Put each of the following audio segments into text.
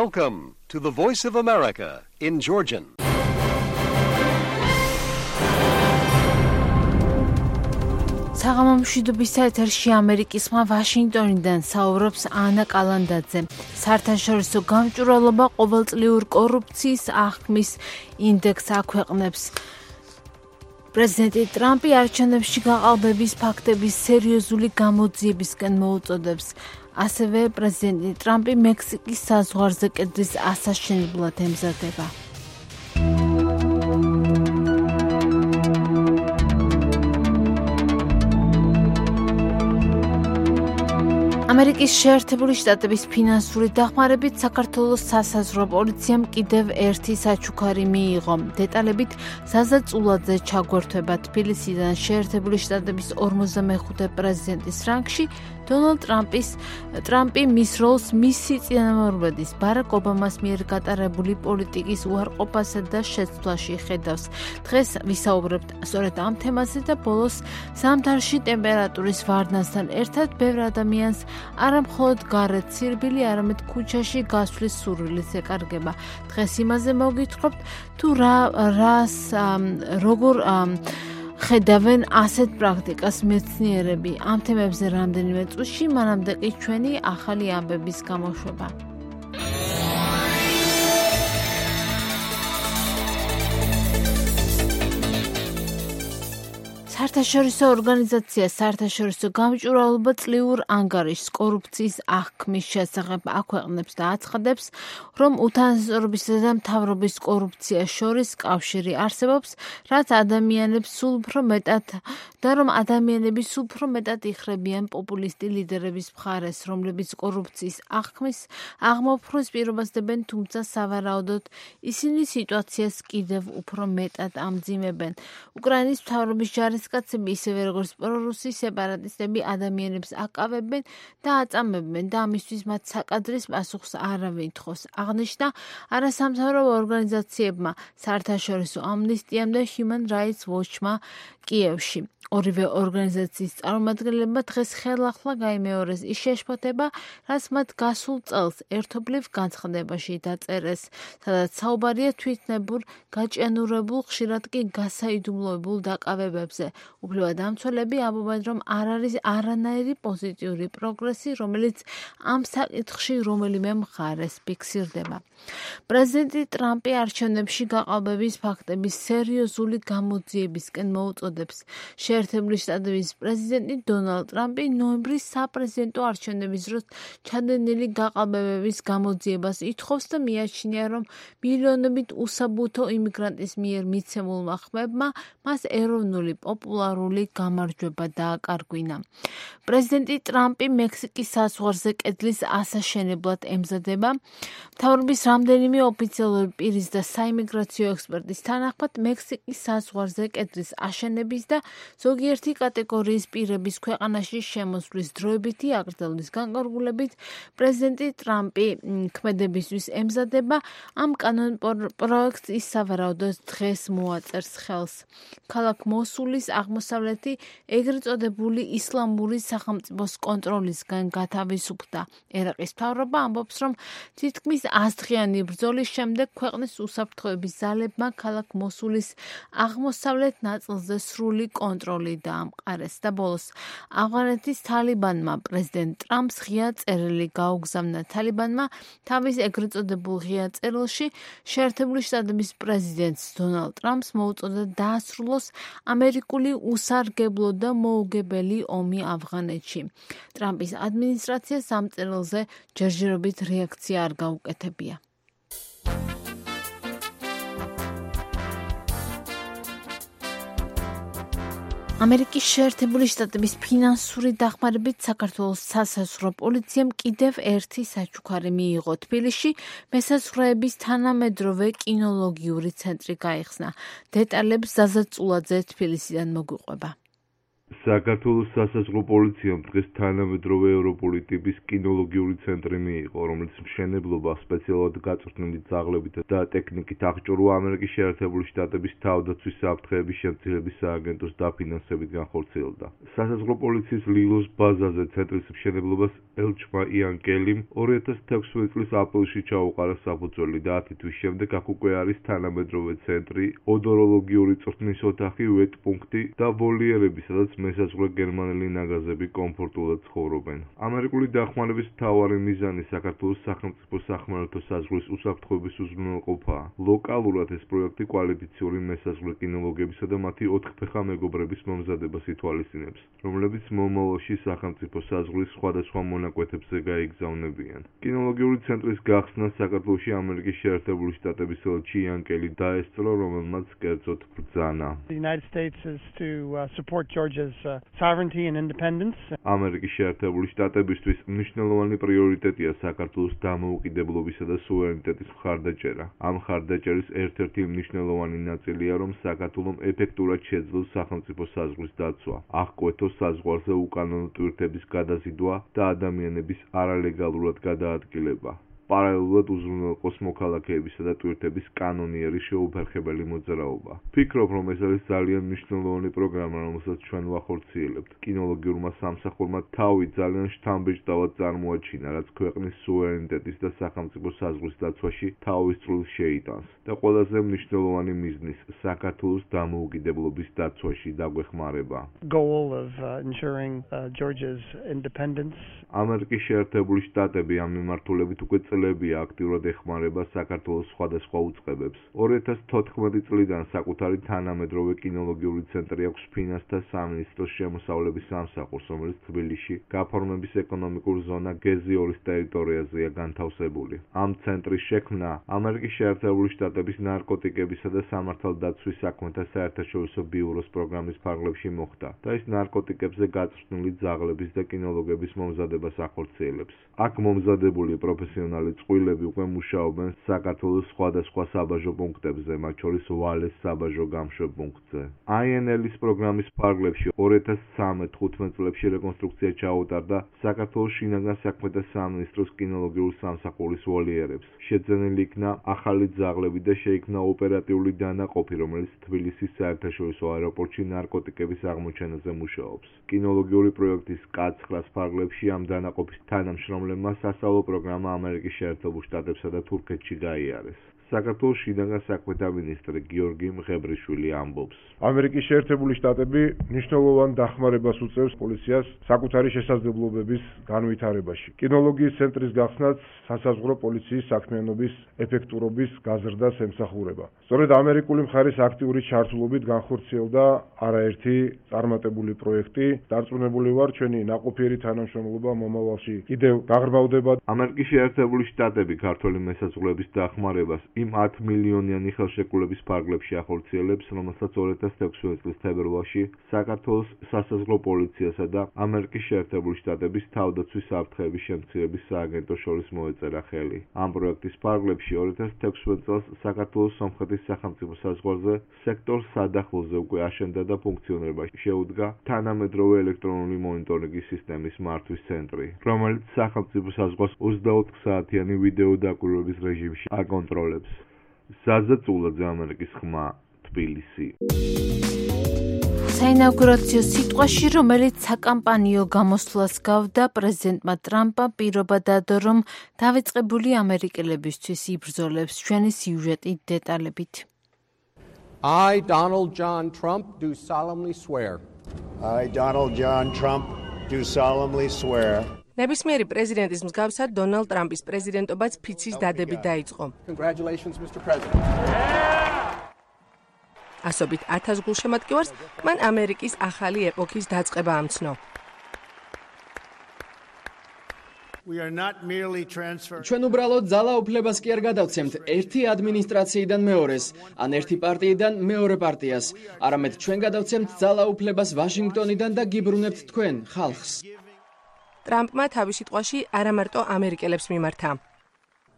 Welcome to the Voice of America in Georgian. საღამომშვიდობის ეთერში ამერიკისმა ვაშინგტონიდან საუბრობს ანა კალანდაძე. საერთაშორისო გამჭვირვალობა ყოველწლიურ კორუფციის აღქმის ინდექსს აქვეყნებს. პრეზიდენტი ტრამპი არჩევნებში გაყალბების ფაქტების სერიოზული გამოძიებისკენ მოუწოდებს. ასევე პრეზიდენტი ტრამპი მექსიკის საზღვარზე კედლის ასაშენებლად ემზადება. ამერიკის შეერთებული შტატების ფინანსური დახმარებით საქართველოს სასაზღვრო პოლიციამ კიდევ ერთი საჩუქარი მიიღო. დეტალებით ზაზა წულაძე ჩაგვერთვება თბილისიდან. შეერთებული შტატების 45 პრეზიდენტის რანგში დონალდ ტრამპი მის როლს მისი წინამორბედის ბარაკ ობამას მიერ გატარებული პოლიტიკის უარყოფასა და შეცვლაში ხედავს. დღეს ვისაუბრებთ სწორედ ამ თემაზე და ბოლოს ზამთარში ტემპერატურის ვარდნასთან ერთად ბევრ ადამიანს არა მხოლოდ გარეთ სირბილი, არამედ ქუჩაში გასვლის სურვილიც ეკარგება. დღეს იმაზე მოგითხრობთ, თუ როგორ ხედავენ ასეთ პრაქტიკას მეცნიერები. ამ თემებზე რამდენიმე წუთში, მანამდე კი ჩვენი ახალი ამბების გამოშვება. საერთაშორისო ორგანიზაცია საერთაშორისო გამჭვირვალობა წლიურ ანგარიშს კორუფციის აღქმის შესახებ აქვეყნებს და აცხადებს, რომ უთანასწორობისა და მთავრობის კორუფციას შორის კავშირი არსებობს, რაც ადამიანებს სულ უფრო მეტად იხრებიან პოპულისტი ლიდერების მხარეს, რომლებიც კორუფციის აღქმის აღმოფხვრას პირობას დებენ, თუმცა სავარაუდოდ ისინი სიტუაციას კიდევ უფრო მეტად ამძიმებენ. უკრაინის მთავრობის ჯარისკაცები ისევე როგორც პრორუსი სეპარატისტები ადამიანებს აკავებენ და აწამებენ და ამისთვის მათ საკადრის პასუხს არავინ თხოვს. აღნიშნა არასამთავრობო ორგანიზაციებმა, საერთაშორისო ამნისტიამ და Human Rights Watch-მა კიევში. ორივე ორგანიზაციის წარმომადგენლებმა დღეს ხელახლა გაიმეორეს ის შეშფოთება, რაც მათ გასულ წელს ერთობლივ განცხადებაში დაწერეს, სადაც საუბარია თვითნებურ, გაჭიანურებულ, ხშირად კი გასაიდუმლოებულ დაკავებებზე. უფლებადამცველები ამბობენ, რომ არ არის არანაირი პოზიტიური პროგრესი, რომელიც ამ საკითხში რომელიმე მხარეს ფიქსირდება. პრეზიდენტი ტრამპი არჩევნებში გაყალბების ფაქტების სერიოზული გამოძიებისკენ მოუწოდებს. შეერთებული შტატების პრეზიდენტი დონალდ ტრამპი ნოემბრის საპრეზიდენტო არჩევნების დროს ჩადენილი გაყალბებების გამოძიებას ითხოვს და მიაჩნია, რომ მილიონობით უსაბუთო იმიგრანტის მიერ მიცემულმა ხმებმა მას ეროვნული პოპულარული გამარჯვება დააკარგვინა. პრეზიდენტი ტრამპი მექსიკის საზღვარზე კედლის ასაშენებლად ემზადება. მთავრობის რამდენიმე ოფიციალური პირის და საიმიგრაციო ექსპერტის თანახმად, მექსიკის საზღვარზე კედლის აშენების და ზოგიერთი კატეგორიის პირების ქვეყანაში შემოსვლის დროებითი აღრძალვის განკარგულებით პრეზიდენტი ტრამპი ქმედებისთვის ემზადება. ამ კანონპროექტს ის სავარაუდოდ დღეს მოაწერს ხელს. ქალაქ მოსულის აღმოსავლეთი ეგრეთ წოდებული ისლამური სახელმწიფოს კონტროლისგან გათავისუფლდა. ერაყის მთავრობა ამბობს, რომ თითქმის 100-დღიანი ბრძოლის შემდეგ ქვეყნის უსაფრთხოების ძალებმა ქალაქ მოსულის აღმოსავლეთ ნაწილზე სრული კონტროლი დაამყარეს და ბოლოს ავღანეთის თალიბანმა პრეზიდენტ ტრამპს ღია წერილი გაუგზავნა. თალიბანმა თავის ეგრეთ წოდებულ ღია წერილში შეერთებული შტატების პრეზიდენტს დონალდ ტრამპს მოუწოდა დაასრულოს ამერიკული უსარგებლო და მოუგებელი ომი ავღანეთში. ტრამპის ადმინისტრაციას ამ წერილზე ჯერჯერობით რეაქცია არ გაუკეთებია. ამერიკის შეერთებული შტატების ფინანსური დახმარებით საქართველოს სასაზღვრო პოლიციამ კიდევ ერთი საჩუქარი მიიღო. თბილისში მესაზღვრეების თანამედროვე კინოლოგიური ცენტრი გაიხსნა. დეტალებს ზაზა წულაძე თბილისიდან მოგვიყვება. საქართველოს სასაზღვრო პოლიციამ დღეს თანამედროვე ევროპული ტიპის კინოლოგიური ცენტრი მიიღო, რომელიც მშენებლობა სპეციალურად გაწვრთნილი ძაღლებით და ტექნიკით აღჭურვა ამერიკის შეერთებული შტატების თავდაცვის საფრთხეების შემცირების სააგენტოს დაფინანსებით განხორციელდა. სასაზღვრო პოლიციის ლილოს ბაზაზე ცენტრის მშენებლობას ელჩმა იან კელიმ 2016 წლის აპრილში ჩაუყარა საფუძველი და 10 თვის შემდეგ აქ უკვე არის თანამედროვე ცენტრი, ოდოროლოგიური წვრთნის ოთახი, ვეტ-პუნქტი და ვოლიერები, სადაც მესაზღვრე გერმანელი ნაგაზები კომფორტულად ცხოვრობენ. ამერიკული დახმარების მთავარი მიზანი საქართველოს სახელმწიფო სახმელეთო საზღვრის უსაფრთხოების უზრუნველყოფაა. ლოკალურად ეს პროექტი კვალიფიციური მესაზღვრე კინოლოგებისა და მათი ოთხფეხა მეგობრების მომზადებას ითვალისწინებს, რომლებიც მომავალში სახელმწიფო საზღვრის სხვადასხვა მონაკვეთებზე გაიგზავნებიან. კინოლოგიური ცენტრის გახსნა საქართველოში ამერიკის შეერთებული შტატების ელჩი იან კელი დაესწრო, რომელმაც კერძოდ ბრძანა. Sovereignty and independence. ამერიკის შეერთებული შტატებისთვის მნიშვნელოვანი პრიორიტეტია საქართველოს დამოუკიდებლობისა და სუვერენიტეტის მხარდაჭერა. ამ მხარდაჭერის ერთ-ერთი მნიშვნელოვანი ნაწილია, რომ საქართველომ ეფექტურად შეძლოს სახელმწიფო საზღვრის დაცვა, აღკვეთოს საზღვარზე უკანონო ტვირთების გადაზიდვა და ადამიანების არალეგალურად გადაადგილება. პარალელურად უზრუნველყოს მოქალაქეებისა და ტვირთების კანონიერი შეუფერხებელი მოძრაობა. ვფიქრობ, რომ ეს არის ძალიან მნიშვნელოვანი პროგრამა, რომელსაც ჩვენ ვახორციელებთ. კინოლოგიურმა სამსახურმა თავი ძალიან შთამბეჭდავად წარმოაჩინა, რაც ქვეყნის სუვერენიტეტის და სახელმწიფო საზღვრის დაცვაში თავის წვლილს შეიტანს და ყველაზე მნიშვნელოვანი მიზნის საქართველოს დამოუკიდებლობის დაცვაში დაგვეხმარება. Goal of ensuring Georgia's independence. ამერიკის შეერთებული შტატები ამ მიმართულებით უკვე წლებია აქტიურად ეხმარება საქართველოს სხვადასხვა უწყებებს. 2014 წლიდან საკუთარი თანამედროვე კინოლოგიური ცენტრი აქვს ფინანსთა სამინისტროს შემოსავლების სამსახურს, რომელიც თბილისში გაფორმების ეკონომიკურ ზონა გეზი 2-ის ტერიტორიაზეა განთავსებული. ამ ცენტრის შექმნა ამერიკის შეერთებული შტატების ნარკოტიკებისა და სამართალდაცვის საქმეთა საერთაშორისო ბიუროს პროგრამის ფარგლებში მოხდა და ის ნარკოტიკებზე გაწვრთნილი ძაღლების და კინოლოგების მომზადებას ახორციელებს. აქ მომზადებული პროფესიონალი წყვილები უკვე მუშაობენ საქართველოს სხვადასხვა საბაჟო პუნქტებზე, მათ შორის ვალეს საბაჟო გამშვებ პუნქტზე. INL-ის პროგრამის ფარგლებში 2013-15 წლებში რეკონსტრუქცია ჩაუტარდა საქართველოს შინაგან საქმეთა სამინისტროს კინოლოგიურ სამსახურის ვოლიერებს. შეძენილი იქნა ახალი ძაღლები და შეიქმნა ოპერატიული დანაყოფი, რომელიც თბილისის საერთაშორისო აეროპორტში ნარკოტიკების აღმოჩენაზე მუშაობს. კინოლოგიური პროექტის კაც-9 ფარგლებში ამ დანაყოფის თანამშრომლებმა სასწავლო პროგრამა ამერიკის შეერთებულ შტატებსა და თურქეთში გაიარეს. საქართველოს შინაგან საქმეთა მინისტრი გიორგი მღებრიშვილი ამბობს. ამერიკის შეერთებული შტატები მნიშვნელოვან დახმარებას უწევს პოლიციას საკუთარი შესაძლებლობების განვითარებაში. კინოლოგიის ცენტრის გახსნაც სასაზღვრო პოლიციის საქმიანობის ეფექტურობის გაზრდას ემსახურება. სწორედ ამერიკული მხარის აქტიური ჩართულობით განხორციელდა არაერთი წარმატებული პროექტი. დარწმუნებული ვარ, ჩვენი ნაყოფიერი თანამშრომლობა მომავალში კიდევ გაღრმავდება. ამერიკის შეერთებული შტატები ქართველი მესაზღვრეების დახმარებას იმ 10 მილიონიანი ხელშეკრულების ფარგლებში ახორციელებს, რომელსაც 2016 წლის თებერვალში საქართველოს სასაზღვრო პოლიციასა და ამერიკის შეერთებული შტატების თავდაცვის საფრთხეების შემცირების სააგენტოს შორის მოეწერა ხელი. ამ პროექტის ფარგლებში 2016 წელს საქართველოს სომხეთის სახელმწიფო საზღვარზე სექტორ სადახლოზე უკვე აშენდა და ფუნქციონირებაში შეუდგა თანამედროვე ელექტრონული მონიტორინგის სისტემის მართვის ცენტრი, რომელიც სახელმწიფო საზღვარს 24 საათიანი ვიდეო დაკვირვების რეჟიმში აკონტროლებს. ზაზა წულაძე, ამერიკის ხმა, თბილისი. საინაუგურაციო სიტყვაში, რომელიც საკამპანიო გამოსვლას გავდა, პრეზიდენტმა ტრამპმა პირობა დადო, რომ დავიწყებული ამერიკელებისთვის იბრძოლებს. ჩვენი სიუჟეტი დეტალებით. I, Donald John Trump, do solemnly swear. I, Donald John Trump, do solemnly swear. ნებისმიერი პრეზიდენტის მსგავსად დონალდ ტრამპის პრეზიდენტობაც ფიცის დადებით დაიწყო. Congratulations, Mr. President. ასობით 1000 გულშემატკივარს მან ამერიკის ახალი ეპოქის დაწყება ამცნო. ჩვენ უბრალოდ ძალაუფლებას კი არ გადავცემთ ერთი ადმინისტრაციიდან მეორეს, ან ერთი პარტიიდან მეორე პარტიას, არამედ ჩვენ გადავცემთ ძალაუფლებას ვაშინგტონიდან და გიბრუნებთ თქვენ, ხალხს. ტრამპმა თავის სიტყვაში არა მარტო ამერიკელებს მიმართა.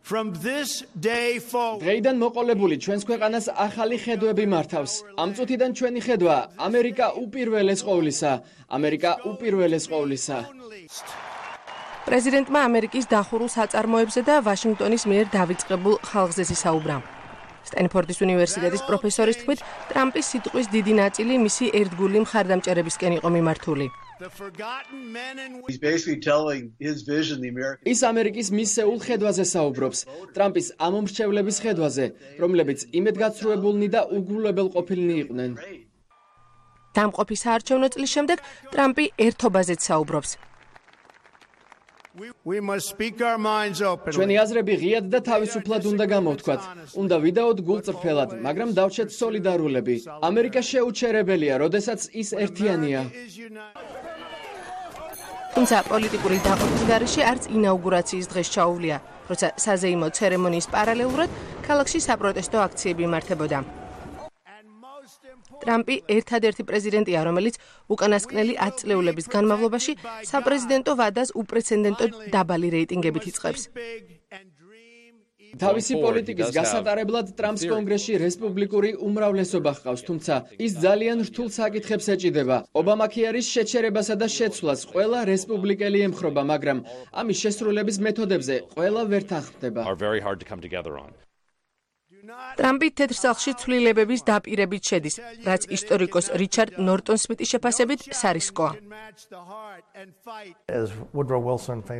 From this day forward. დღეიდან მოყოლებული ჩვენს ქვეყანას ახალი ხედვები მართავს. ამ წუთიდან ჩვენი ხედვა ამერიკა უპირველეს ყოვლისა. ამერიკა უპირველეს ყოვლისა. პრეზიდენტმა ამერიკის დახურულ საწარმოებზე და ვაშინგტონის მიერ დავიწყებულ ხალხზე ისაუბრა. სტენფორდის უნივერსიტეტის პროფესორის თქმით, ტრამპის სიტყვის დიდი ნაწილი მისი ერთგული მხარდამჭერებისკენ იყო მიმართული. ის ამერიკის მისეულ ხედვაზე საუბრობს, ტრამპის ამომრჩევლების ხედვაზე, რომლებიც იმედგაცრუებულნი და უგულებელ ყოფილნი იყვნენ. დამყოფი საარჩევნო წლის შემდეგ ტრამპი ერთობაზეც საუბრობს. We must speak our minds openly. ჩვენი აზრები ღიად და თავისუფლად უნდა გამოვთქვათ. უნდა ვიდაოთ გულწრფელად, მაგრამ დავჩეთ სოლიდარულები. ამერიკა შეუჩერებელია, როდესაც ის ერთიანია. თუმცა პოლიტიკური დაყოფის გარეშე არც ინაუგურაციის დღეს ჩაუვლია, როცა საზეიმო ცერემონიის პარალელურად ქალაქში საპროტესტო აქციები იმართებოდა. ტრამპი ერთადერთი პრეზიდენტია, რომელიც უკანასკნელი 10 წლეულების განმავლობაში საპრეზიდენტო ვადას უპრეცედენტო დაბალი რეიტინგებით იწყებს. თავისი პოლიტიკის გასატარებლად ტრამპს კონგრესში რესპუბლიკური უმრავლესობა ჰყავს, თუმცა ის ძალიან რთულ საკითხებს ეჭიდება. ობამაქეარის შეჩერებასა და შეცვლას ყველა რესპუბლიკელი ემხრობა, მაგრამ ამის შესრულების მეთოდებზე ყველა ვერ თანხმდება. ტრამპი თეთრ სახლში ცვლილებების დაპირებით შედის, რაც ისტორიკოს რიჩარდ ნორტონ-სმიტის შეფასებით სარისკოა.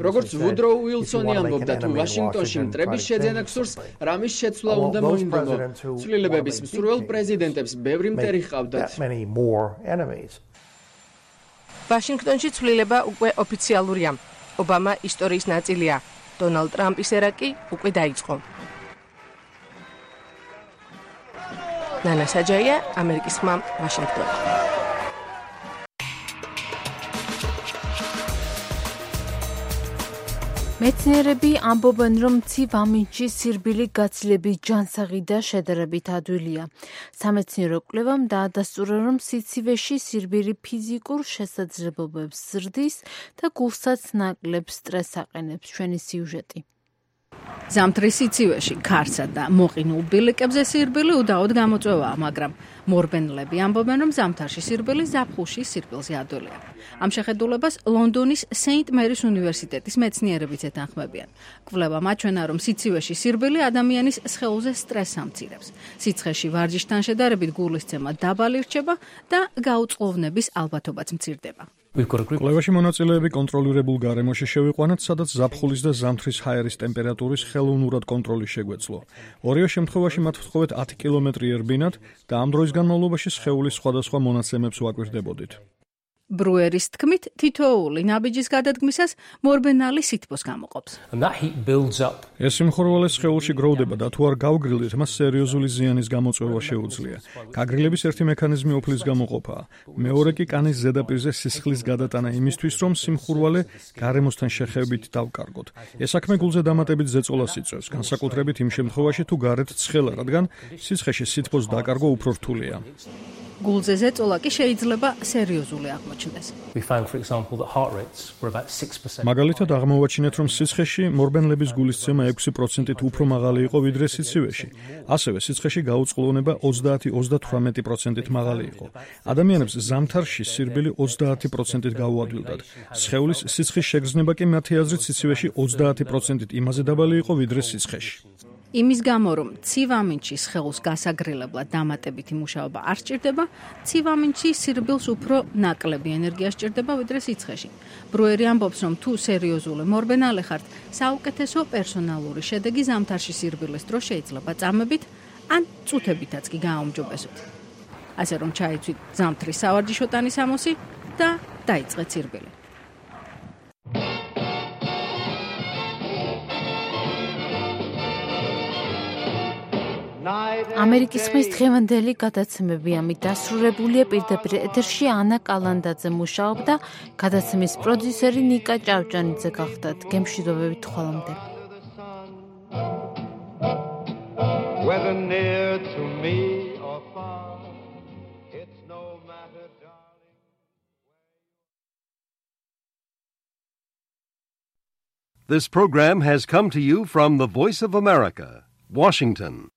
როგორც ვუდროუ უილსონი ამბობდა, თუ ვაშინგტონში მტრების შეძენა გსურს, რამის შეცვლა უნდა მოინდომო. ცვლილებების მსურველ პრეზიდენტებს ბევრი მტერი ჰყავდათ. ვაშინგტონში ცვლილება უკვე ოფიციალურია. ობამა ისტორიის ნაწილია. დონალდ ტრამპის ერა კი უკვე დაიწყო. ნანა საჯაია, ამერიკის ხმა, ვაშინგტონი. მეცნიერები ამბობენ, რომ ცივ ამინდში სირბილი გაცილებით ჯანსაღი და შედარებით ადვილია. სამეცნიერო კვლევამ დაადასტურა, რომ სიცივეში სირბილი ფიზიკურ შესაძლებლობებს ზრდის და გულსაც ნაკლებ სტრესს აყენებს. ჩვენი სიუჟეტი. ზამთრის სიცივეში ქარსა და მოყინულ ბილიკებზე სირბილი უდაოდ გამოწვევაა, მაგრამ მორბენლები ამბობენ, რომ ზამთარში სირბილი ზაფხულში სირბილზე ადვილია. ამ შეხედულებას ლონდონის სეინტ მერის უნივერსიტეტის მეცნიერებიც ეთანხმებიან. კვლევამ აჩვენა, რომ სიცივეში სირბილი ადამიანის სხეულზე სტრესს ამცირებს. სიცხეში ვარჯიშთან შედარებით გულისცემა დაბალი რჩება და გაუწყლოვნების ალბათობაც მცირდება. კვლევაში მონაწილეები კონტროლირებულ გარემოში შევიყვანათ, სადაც ზაფხულის და ზამთრის ჰაერის ტემპერატურის ხელოვნურად კონტროლი შეგვეძლო. ორივე შემთხვევაში მათ ვთხოვეთ 10 კილომეტრი ერბინათ და ამ დროის განმავლობაში სხეულის სხვადასხვა მონაცემებს ვაკვირდებოდით. ბრუერის თქმით, თითოეული ნაბიჯის გადადგმისას მორბენალი სითბოს გამოყოფს. ეს სიმხურვალე სხეულში გროვდება და თუ არ გავგრილდით, მას სერიოზული ზიანის გამოწვევა შეუძლია. გაგრილების ერთი მექანიზმი ოფლის გამოყოფაა. მეორე კი კანის ზედაპირზე სისხლის გადატანა იმისთვის, რომ სიმხურვალე გარემოსთან შეხებით დავკარგოთ. ეს საქმე გულზე დამატებით ზეწოლას იწვევს, განსაკუთრებით იმ შემთხვევაში, თუ გარეთ ცხელა, რადგან სისხეში სითბოს დაკარგვა უფრო რთულია. გულზე ზეწოლა კი შეიძლება სერიოზული აღმოჩნდეს. მაგალითად აღმოვაჩინეთ, რომ სისხეში მორბენლების გულისცემა 6%-ით უფრო მაღალი იყო ვიდრე სიცივეში. ასევე სისხეში გაუწყლოვნება 30-38%-ით მაღალი იყო. ადამიანებს ზამთარში სირბილი 30%-ით გაუადვილდათ. სხეულის სიცხის შეგრძნება კი მათი აზრით სიცივეში 30%-ით იმაზე დაბალი იყო ვიდრე სიცხეში. იმის გამო, რომ ცივ ამინდში სხეულს გასაგრილებლად დამატებითი მუშაობა არ სჭირდება, ცივ ამინდში სირბილს უფრო ნაკლები ენერგია სჭირდება ვიდრე სიცხეში. ბრუერი ამბობს, რომ თუ სერიოზული მორბენალე ხართ, საუკეთესო პერსონალური შედეგი ზამთარში სირბილის დროს შეიძლება წამებით ან წუთებითაც კი გააუმჯობესოთ. ასე რომ ჩაიცვით ზამთრის სავარჯიშო ტანის ამოსი და დაიწყეთ სირბილი. ამერიკის ხმის დღევანდელი გადაცემები ამით დასრულებულია. პირდაპირ ეთერში ანა კალანდაძე მუშაობდა, გადაცემის პროდიუსერი ნიკა ჭავჭანიძე გახდათ. გემშვიდობებით ხვალამდე. This program has come to you from the Voice of America, Washington.